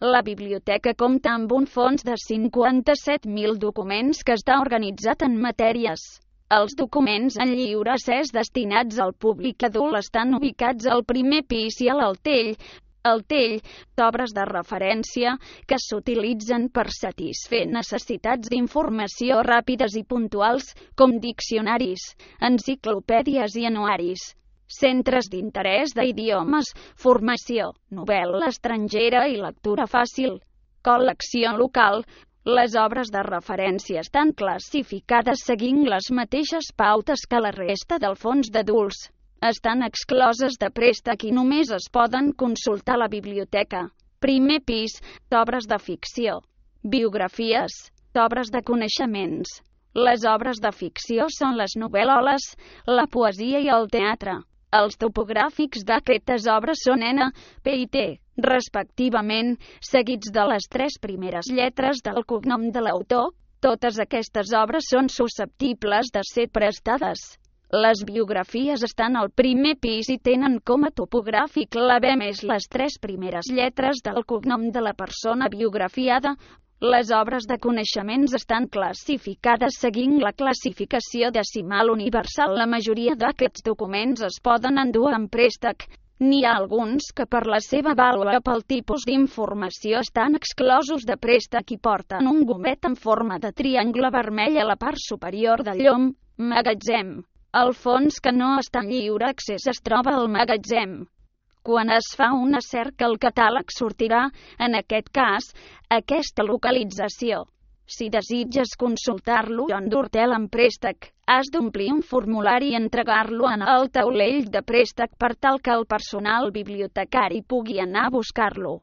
La biblioteca compta amb un fons de 57.000 documents que està organitzat en matèries. Els documents en lliure accés destinats al públic adult estan ubicats al primer pis i a l'altell, d'obres de referència que s'utilitzen per satisfer necessitats d'informació ràpides i puntuals, com diccionaris, enciclopèdies i anuaris, centres d'interès d'idiomes, formació, novel·la estrangera i lectura fàcil, col·lecció local. Les obres de referència estan classificades seguint les mateixes pautes que la resta del fons d'adults. Estan excloses de préstec i només es poden consultar a la biblioteca. Primer pis, d'obres de ficció. Biografies, d'obres de coneixements. Les obres de ficció són les novel·loles, la poesia i el teatre. Els topogràfics d'aquestes obres són N, P i T, respectivament, seguits de les 3 primeres lletres del cognom de l'autor. Totes aquestes obres són susceptibles de ser prestades. Les biografies estan al primer pis i tenen com a topogràfic la B més les 3 primeres lletres del cognom de la persona biografiada. Les obres de coneixements estan classificades seguint la classificació decimal universal. La majoria d'aquests documents es poden endur en préstec. N'hi ha alguns que per la seva vàlua pel tipus d'informació estan exclosos de préstec i porten un gomet en forma de triangle vermell a la part superior del llom. Magatzem. El fons que no està en lliure accés es troba al magatzem. Quan es fa una cerca el catàleg sortirà, en aquest cas, aquesta localització. Si desitges consultar-lo o endur-te'l en préstec, has d'omplir un formulari i entregar-lo en el taulell de préstec per tal que el personal bibliotecari pugui anar a buscar-lo.